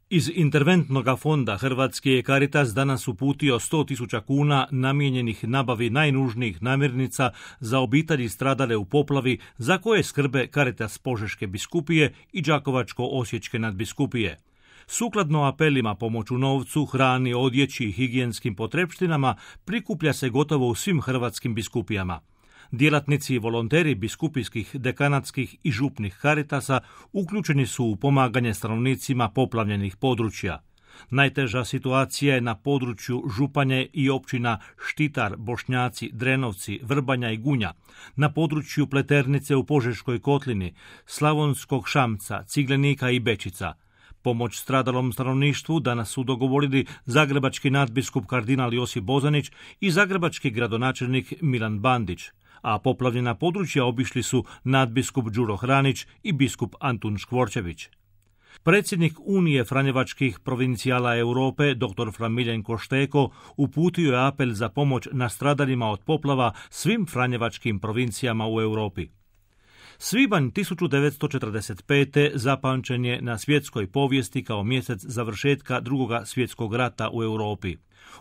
Iz interventnog fonda Hrvatski je Caritas danas uputio 100.000 kuna namijenjenih nabavi najnužnijih namirnica za obitelji stradale u poplavi za koje skrbe Caritas Požeške biskupije i Đakovačko-osječke nadbiskupije. Sukladno apelima pomoć u novcu, hrani, odjeći i higijenskim potrepštinama prikuplja se gotovo u svim hrvatskim biskupijama. Djelatnici i volonteri biskupijskih, dekanatskih i župnih Caritasa uključeni su u pomaganje stanovnicima poplavljenih područja. Najteža situacija je na području Županje i općina Štitar, Bošnjaci, Drenovci, Vrbanja i Gunja, na području Pleternice u Požeškoj kotlini, Slavonskog Šamca, Ciglenika i Bečica. Pomoć stradalom stanovništvu danas su dogovorili zagrebački nadbiskup kardinal Josip Bozanić i zagrebački gradonačelnik Milan Bandić, a poplavljena područja obišli su nadbiskup Đuro Hranić i biskup Antun Škvorčević. Predsjednik Unije franjevačkih provincijala Europe, dr. Fra Miljenko Šteko, uputio je apel za pomoć nastradalima od poplava svim franjevačkim provincijama u Europi. Svibanj 1945. zapamćen je na svjetskoj povijesti kao mjesec završetka Drugog svjetskog rata u Europi.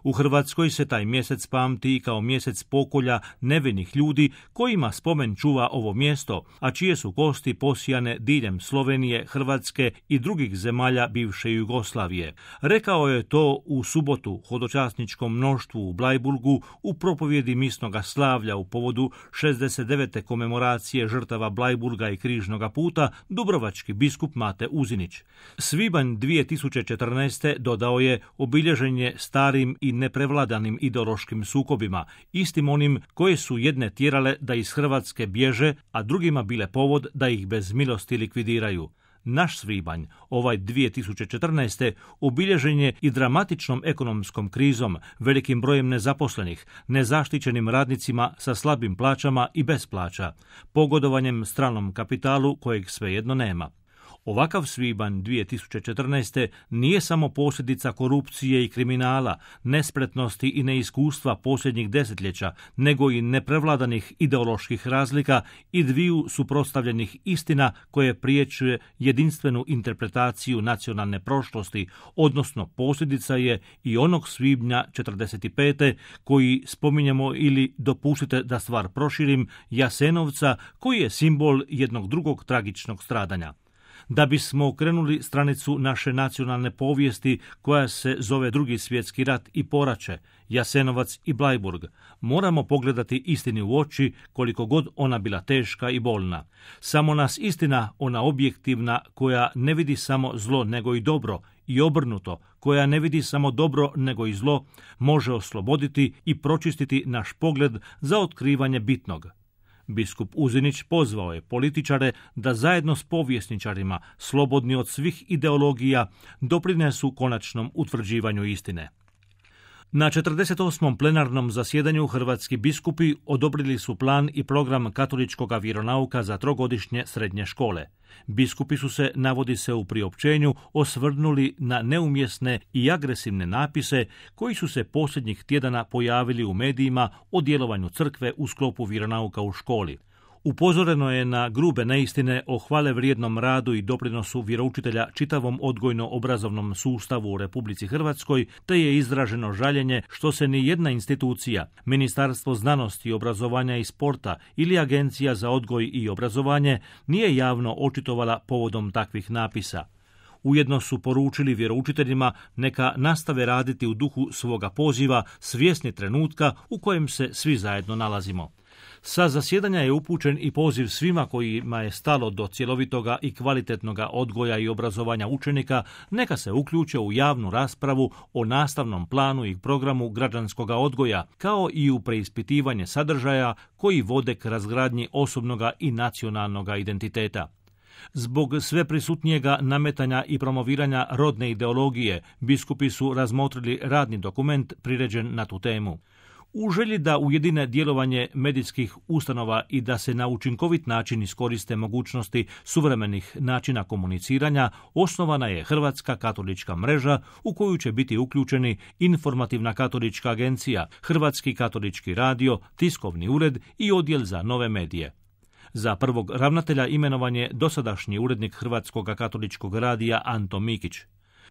U Hrvatskoj se taj mjesec pamti kao mjesec pokolja nevinih ljudi kojima spomen čuva ovo mjesto, a čije su kosti posijane diljem Slovenije, Hrvatske i drugih zemalja bivše Jugoslavije. Rekao je to u subotu hodočasničkom mnoštvu u Blajburgu u propovjedi misnoga slavlja u povodu 69. komemoracije žrtava Blajburga i Križnoga puta dubrovački biskup Mate Uzinić. Svibanj 2014. dodao je obilježen je starim i neprevladanim ideološkim sukobima, istim onim koje su jedne tjerale da iz Hrvatske bježe, a drugima bile povod da ih bez milosti likvidiraju. Naš svibanj, ovaj 2014. obilježen je i dramatičnom ekonomskom krizom, velikim brojem nezaposlenih, nezaštićenim radnicima sa slabim plaćama i bez plaća, pogodovanjem stranom kapitalu kojeg svejedno nema. Ovakav svibanj 2014. nije samo posljedica korupcije i kriminala, nespretnosti i neiskustva posljednjih desetljeća, nego i neprevladanih ideoloških razlika i dviju suprotstavljenih istina koje priječuje jedinstvenu interpretaciju nacionalne prošlosti, odnosno posljedica je i onog svibnja 1945. koji spominjemo ili, dopustite da stvar proširim, Jasenovca, koji je simbol jednog drugog tragičnog stradanja. Da bismo okrenuli stranicu naše nacionalne povijesti koja se zove Drugi svjetski rat i poraće, Jasenovac i Blajburg, moramo pogledati istini u oči koliko god ona bila teška i bolna. Samo nas istina, ona objektivna, koja ne vidi samo zlo nego i dobro, i obrnuto, koja ne vidi samo dobro nego i zlo, može osloboditi i pročistiti naš pogled za otkrivanje bitnog. Biskup Uzinić pozvao je političare da zajedno s povjesničarima, slobodni od svih ideologija, doprinesu konačnom utvrđivanju istine. Na 48. plenarnom zasjedanju hrvatski biskupi odobrili su plan i program katoličkog vjeronauka za trogodišnje srednje škole. Biskupi su se, navodi se u priopćenju, osvrnuli na neumjesne i agresivne napise koji su se posljednjih tjedana pojavili u medijima o djelovanju crkve u sklopu vjeronauka u školi. Upozoreno je na grube neistine o hvale vrijednom radu i doprinosu vjeroučitelja čitavom odgojno-obrazovnom sustavu u Republici Hrvatskoj, te je izraženo žaljenje što se ni jedna institucija, Ministarstvo znanosti, obrazovanja i sporta ili Agencija za odgoj i obrazovanje, nije javno očitovala povodom takvih napisa. Ujedno su poručili vjeroučiteljima neka nastave raditi u duhu svoga poziva, svjesni trenutka u kojem se svi zajedno nalazimo. Sa zasjedanja je upućen i poziv svima kojima je stalo do cjelovitoga i kvalitetnoga odgoja i obrazovanja učenika, neka se uključe u javnu raspravu o nastavnom planu i programu građanskog odgoja, kao i u preispitivanje sadržaja koji vode k razgradnji osobnoga i nacionalnoga identiteta. Zbog sve prisutnijega nametanja i promoviranja rodne ideologije, biskupi su razmotrili radni dokument priređen na tu temu. U želji da ujedine djelovanje medijskih ustanova i da se na učinkovit način iskoriste mogućnosti suvremenih načina komuniciranja, osnovana je Hrvatska katolička mreža u koju će biti uključeni Informativna katolička agencija, Hrvatski katolički radio, tiskovni ured i odjel za nove medije. Za prvog ravnatelja imenovan je dosadašnji urednik Hrvatskog katoličkog radija Anto Mikić.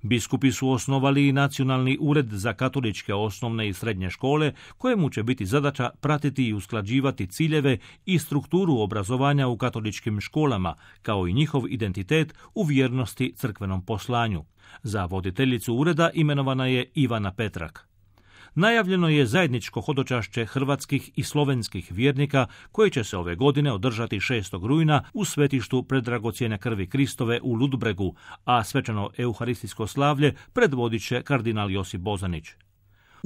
Biskupi su osnovali i Nacionalni ured za katoličke osnovne i srednje škole, kojemu će biti zadaća pratiti i usklađivati ciljeve i strukturu obrazovanja u katoličkim školama, kao i njihov identitet u vjernosti crkvenom poslanju. Za voditeljicu ureda imenovana je Ivana Petrak. Najavljeno je zajedničko hodočašće hrvatskih i slovenskih vjernika koje će se ove godine održati 6. rujna u svetištu Predragocjene krvi Kristove u Ludbregu, a svečano euharistijsko slavlje predvodit će kardinal Josip Bozanić.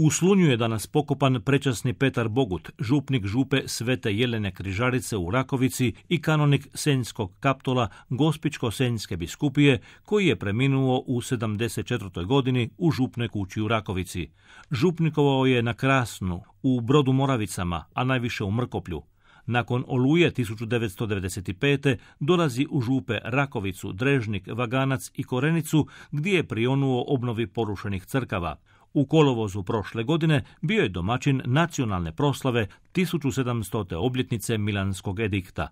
U Slunju je danas pokopan prečasni Petar Bogut, župnik župe Svete Jelene Križarice u Rakovici i kanonik Senjskog Kaptola Gospićko-Senjske biskupije, koji je preminuo u 74. godini u župnoj kući u Rakovici. Župnikovao je na Krasnu, u Brodu Moravicama, a najviše u Mrkoplju. Nakon Oluje 1995. dolazi u župe Rakovicu, Drežnik, Vaganac i Korenicu, gdje je prionuo obnovi porušenih crkava. U kolovozu prošle godine bio je domaćin nacionalne proslave 1700. obljetnice Milanskog edikta.